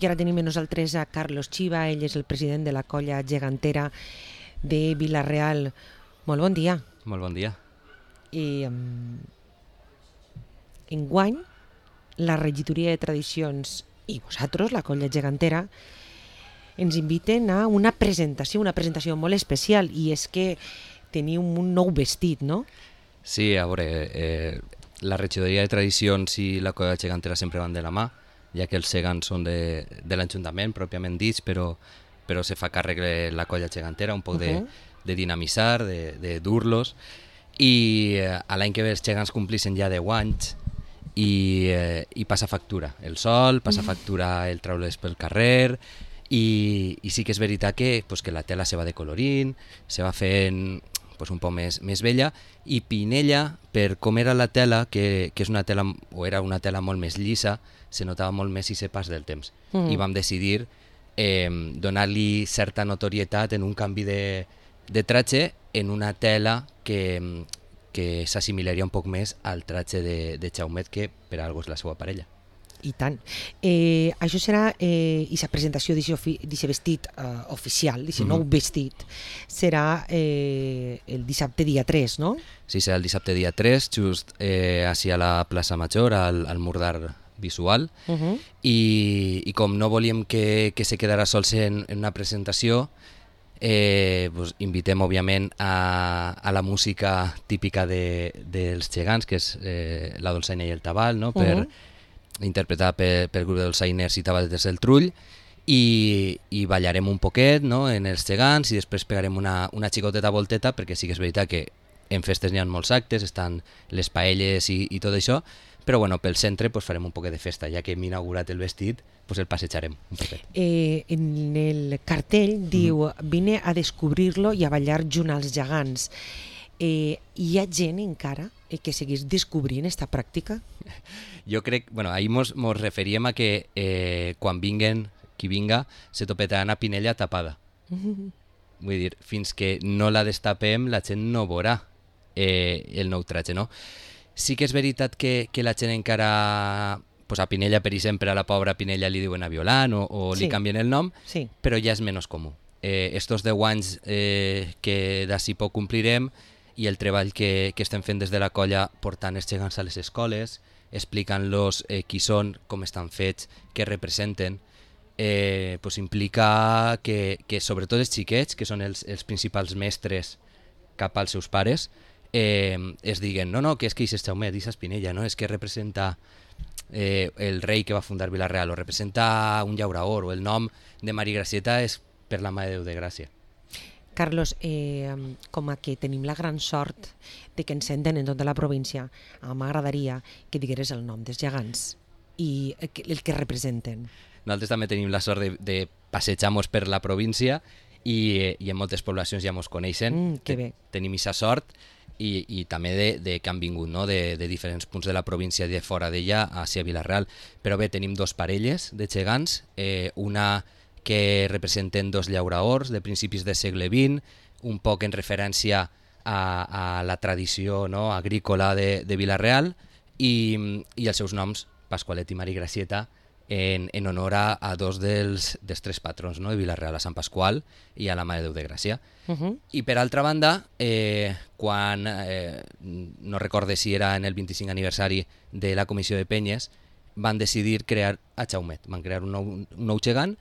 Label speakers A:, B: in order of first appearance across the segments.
A: I ara tenim amb nosaltres a Carlos Chiva, ell és el president de la colla gegantera de Vila-real. Molt bon dia.
B: Molt bon dia.
A: I enguany, la regidoria de tradicions i vosaltres, la colla gegantera, ens inviten a una presentació molt especial, i és que teniu un nou vestit, no?
B: Sí, a veure, la regidoria de tradicions i la colla gegantera sempre van de la mà, ja que els gegants són de l'Ajuntament, pròpiament dits, però se fa càrrec de la colla gegantera, un poc de dinamitzar, de dur-los, i a l'any que ve els gegants complissin ja 10 anys, i passa factura el sol, passa factura el traure's pel carrer, i sí que és veritat que la tela se va decolorint, se va fent un poc més vella, i Pinella, per com era la tela, que és una tela, o era una tela molt més llisa, se notava molt més ese pas del temps. I vam decidir donar-li certa notorietat en un canvi de tratge en una tela que s'assimilaria un poc més al tratge de Jaumet, que per algo és la seva parella.
A: I tant. Això serà, i la presentació d'aquest vestit oficial, d'aquest nou vestit, serà el dissabte dia 3, no?
B: Sí, serà el dissabte dia 3, just així a la plaça Major, al mur d'art visual, i com no volíem que se quedara sols en una presentació, invitem òbviament a la música típica dels gegants, que és la dolçaina i el tabal, no? Interpretada pel grup de dolçainers i tabaletes del Trull, i ballarem un poquet, no? En els gegants, i després pegarem una xicoteta volteta, perquè sí que és veritat que en festes n'hi ha molts actes, estan les paelles i tot això, però bueno, pel centre farem un poquet de festa, ja que hem inaugurat el vestit, el passejarem un poquet.
A: En el cartell diu vine a descobrir-lo i a ballar junt als gegants. Hi ha gent encara que seguís descobrint aquesta pràctica?
B: Jo crec, ahir mos referíem a que quan vinguen, qui vinga, se topetaran a Pinella tapada. Vull dir, fins que no la destapem, la gent no veurà el nou tratge, no? Sí que és veritat que la gent encara, a Pinella, per exemple, a la pobra Pinella li diuen a Violant o li canvien el nom, però ja és menys comú. Estos 10 anys que d'ací poc complirem, i el treball que estem fent des de la colla portant els gegants a les escoles, explicant-los qui són, com estan fets, què representen, implica que sobretot els xiquets, que són els principals mestres cap als seus pares, es diguen, no, que és que és Jaumet, és Pinella, no? És que representa el rei que va fundar Vila-real, o representa un llauraor, o el nom de Maria Gracieta és per la Mare de Déu de Gràcia.
A: Carlos, com a que tenim la gran sort de que ens senten en tota la província, m'agradaria que digueres el nom dels gegants i el que representen.
B: Nosaltres també tenim la sort de passejar-nos per la província, i en moltes poblacions ja ens coneixen.
A: Que bé.
B: Tenim aquesta sort, i també de que han vingut, no? de diferents punts de la província i de fora d'ella hacia Vila-real. Però bé, tenim dos parelles de gegants, una que representen dos llauraors de principis del segle XX, un poc en referència a la tradició, no? Agrícola de Vila-real, i els seus noms, Pasqualet i Maria Gracieta, en honor a dos dels tres patrons, no? De Vila-real, a Sant Pasqual i a la Mare de Déu de Gràcia. I per altra banda, quan, no recorde si era en el 25 aniversari de la Comissió de Penyes, van decidir crear a Jaumet, van crear un nou gegant,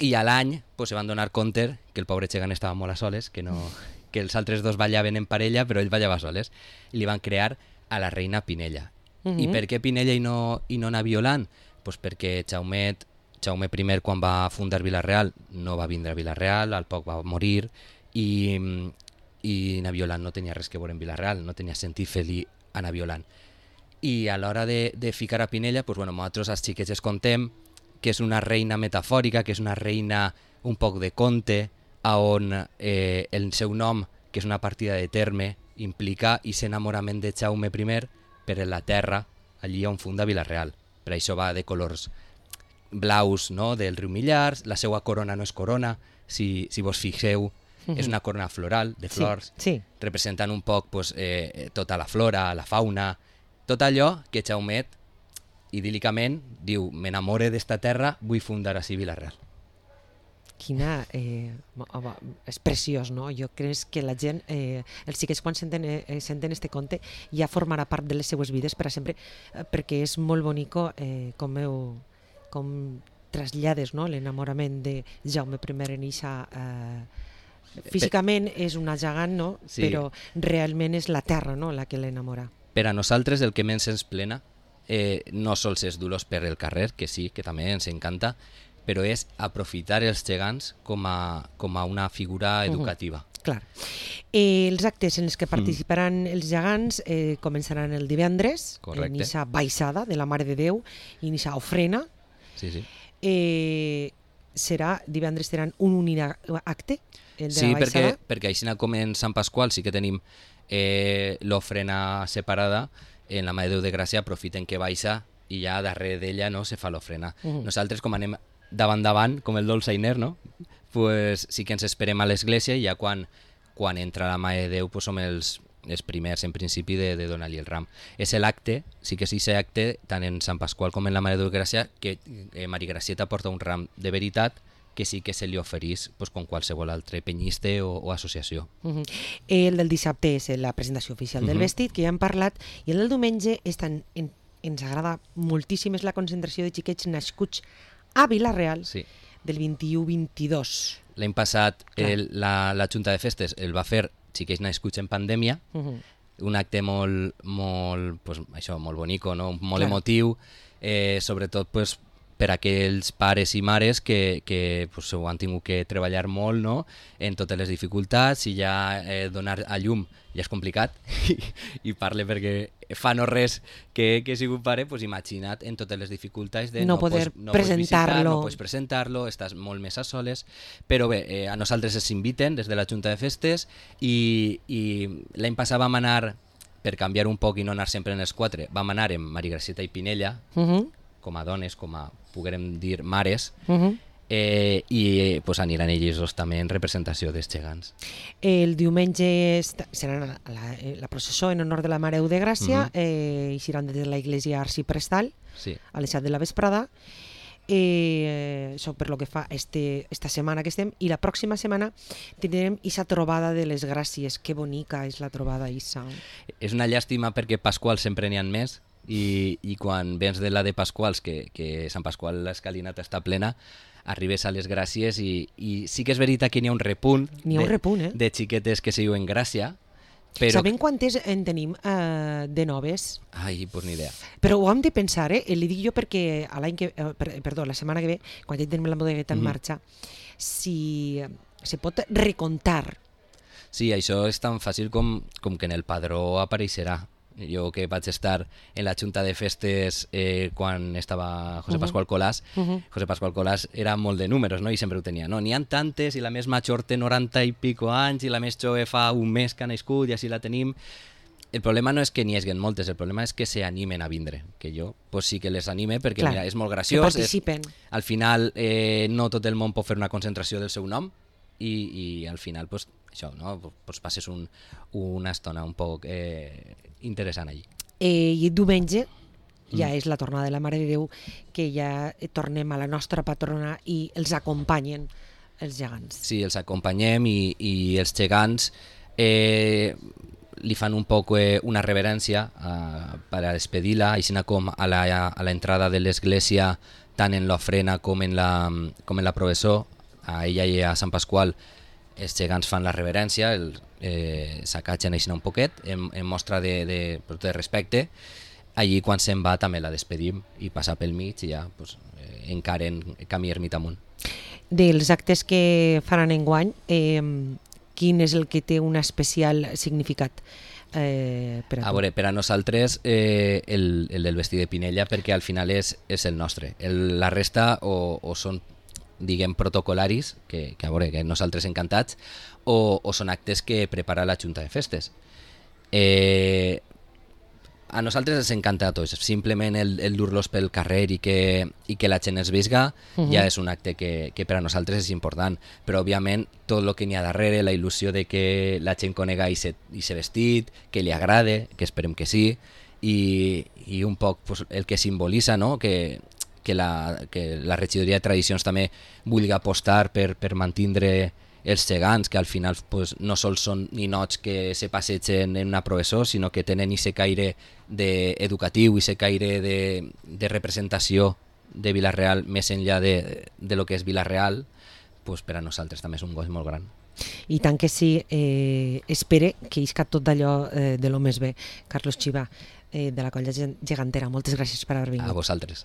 B: i a l'any se van donar compte que el pobre gegant estava molt a soles, que els altres dos ballaven en parella, però ell ballava soles, i li van crear a la reina Pinella. I per què Pinella i no na Violant? Perquè Jaumet I, quan va fundar Vila-real, no va vindre a Vila-real, al poc va morir, i na Violant no tenia res que veure en Vila-real, no tenia sentit fer-li a na Violant. I a l'hora de ficar a Pinella, nosaltres els xiquets es contem que és una reina metafòrica, que és una reina un poc de conte, on el seu nom, que és una partida de terme, implica aquest enamorament de Jaume I per la terra, allí on funda Vila-real. Per això va de colors blaus, no? Del riu Millars, la seva corona no és corona, si vos fixeu, és una corona floral, de flors, representant un poc tota la flora, la fauna, tot allò que Jaumet idíl·licament, diu, m'enamore d'esta terra, vull fundar així Vila-real.
A: Quina... és preciós, no? Jo crec que la gent, els xiquets quan senten este conte ja formarà part de les seues vides per a sempre, perquè és molt bonico com trasllades, no? L'enamorament de Jaume I en eixa... Físicament és una gegant, no?
B: Sí.
A: Però realment és la terra, no?, la que l'enamora.
B: Per a nosaltres el que més ens plena no sols és dur-los per el carrer, que sí, que també ens encanta, però és aprofitar els gegants com a una figura educativa.
A: Clar. Els actes en els que participaran els gegants començaran el divendres, en eixa baixada de la Mare de Déu i en eixa ofrena.
B: Sí, sí.
A: Divendres seran un únic acte, el de
B: sí,
A: la baixada.
B: perquè així com en Sant Pasqual sí que tenim l'ofrena separada, en la Mare de Déu de Gràcia aprofiten que baixa i ja darrere d'ella, no, se fa l'ofrena. Nosaltres, com anem davant, com el dolçainer, no? Pues sí que ens esperem a l'església i ja quan entra la Mare de Déu pues som els primers en principi de donar-li el ram. És l'acte, sí que és aquest acte, tant en Sant Pasqual com en la Mare de Déu de Gràcia, que Maria Gracieta porta un ram de veritat que sí que se li oferís pues, com qualsevol altre penyiste o associació.
A: El del dissabte és la presentació oficial del vestit, que ja hem parlat, i el del diumenge ens agrada moltíssim, és la concentració de xiquets nascuts a Vila-real, sí, del 21-22.
B: L'any passat la Junta de Festes el va fer xiquets nascuts en pandèmia, un acte molt bonico, no? Molt emotiu, sobretot pues, per a aquells pares i mares que pues, ho han tingut que treballar molt, no? En totes les dificultats, i ja donar a llum ja és complicat, i parle perquè fa no res que he sigut pare, pues, imagina't en totes les dificultats de
A: no poder presentar-lo,
B: no pots presentar-lo, estàs molt més a soles, però bé, a nosaltres ens inviten des de la Junta de Festes i l'any passat vam anar, per canviar un poc i no anar sempre en els quatre, vam anar amb Maria Gracieta i Pinella, com a dones, com a, puguem dir, mares, i pues, aniran ells també en representació dels gegants.
A: El diumenge serà la processó en honor de la Mare de Gràcia, i seran des de la Iglesia Arciprestal,
B: sí,
A: a les 7 de la vesprada. Això per lo que fa esta setmana que estem, i la pròxima setmana tindrem aquesta trobada de les gràcies. Que bonica és la trobada, Issa.
B: És una llàstima perquè Pasqual sempre n'hi ha més, i quan vens de la de Pasquals, que Sant Pasqual l'escalinata està plena, arribes a les gràcies i sí que és veritat que n'hi ha un repunt, de xiquetes que se diuen Gràcia. Però...
A: Sabem quantes en tenim de noves?
B: Ai, pues ni idea.
A: Però ho hem de pensar, li dic jo perquè la setmana que ve, quan ja tenim la bodegueta en marxa, si se pot recontar.
B: Sí, això és tan fàcil com que en el padró apareixerà. Jo que vaig estar en la Junta de Festes quan estava José Pascual Colàs, José Pascual Colàs era molt de números, no? I sempre ho tenia. No, n'hi ha tantes, i la més major té 90 i pico anys, i la més jove fa un mes que ha nascut, i així la tenim. El problema no és que n'hi hagin moltes, el problema és que s'animen a vindre, que jo pues sí que les anime, perquè mira, és molt graciós.
A: Que participen.
B: Al final no tot el món pot fer una concentració del seu nom, i al final pues, això, no? Pues passes una estona un poc interessant allí.
A: I diumenge ja és la tornada de la Mare de Déu, que ja tornem a la nostra patrona i els acompanyen els gegants.
B: Sí, els acompanyem i els gegants li fan un poc una reverència per a despedir-la, així com a l'entrada de l'església, tant en l'ofrena com en la processó, a ella i a Sant Pasqual els gegants fan la reverència, s'acatgen així un poquet, en mostra de respecte. Allí quan se'n va també la despedim i passa pel mig i ja pues, encaren camí ermita amunt.
A: Dels actes que faran enguany, quin és el que té un especial significat per a tu?
B: A veure, per a nosaltres el del vestit de Pinella, perquè al final és el nostre. La resta o són, diguem, protocolaris, que a veure, que nosaltres encantats, o són actes que prepara la Junta de Festes. A nosaltres ens encanta a tots, simplement el dur-los pel carrer i que la gent es visga ja és un acte que per a nosaltres és important, però òbviament tot el que n'hi ha darrere, la il·lusió de que la gent conega i se vestit, que li agrade, que esperem que sí, i un poc pues, el que simbolitza, no? Que la regidoria de tradicions també vulgui apostar per mantenir els gegants, que al final pues, no sols són ninots que se passegen en una professó, sinó que tenen aquest caire educatiu, aquest caire de representació de Vila-real més enllà de lo que és Vila-real, pues, per a nosaltres també és un goig molt gran.
A: I tant que sí, espere que isca tot d'allò de lo més bé. Carlos Chiva, de la Colla Gegantera, moltes gràcies per haver vingut.
B: A vosaltres.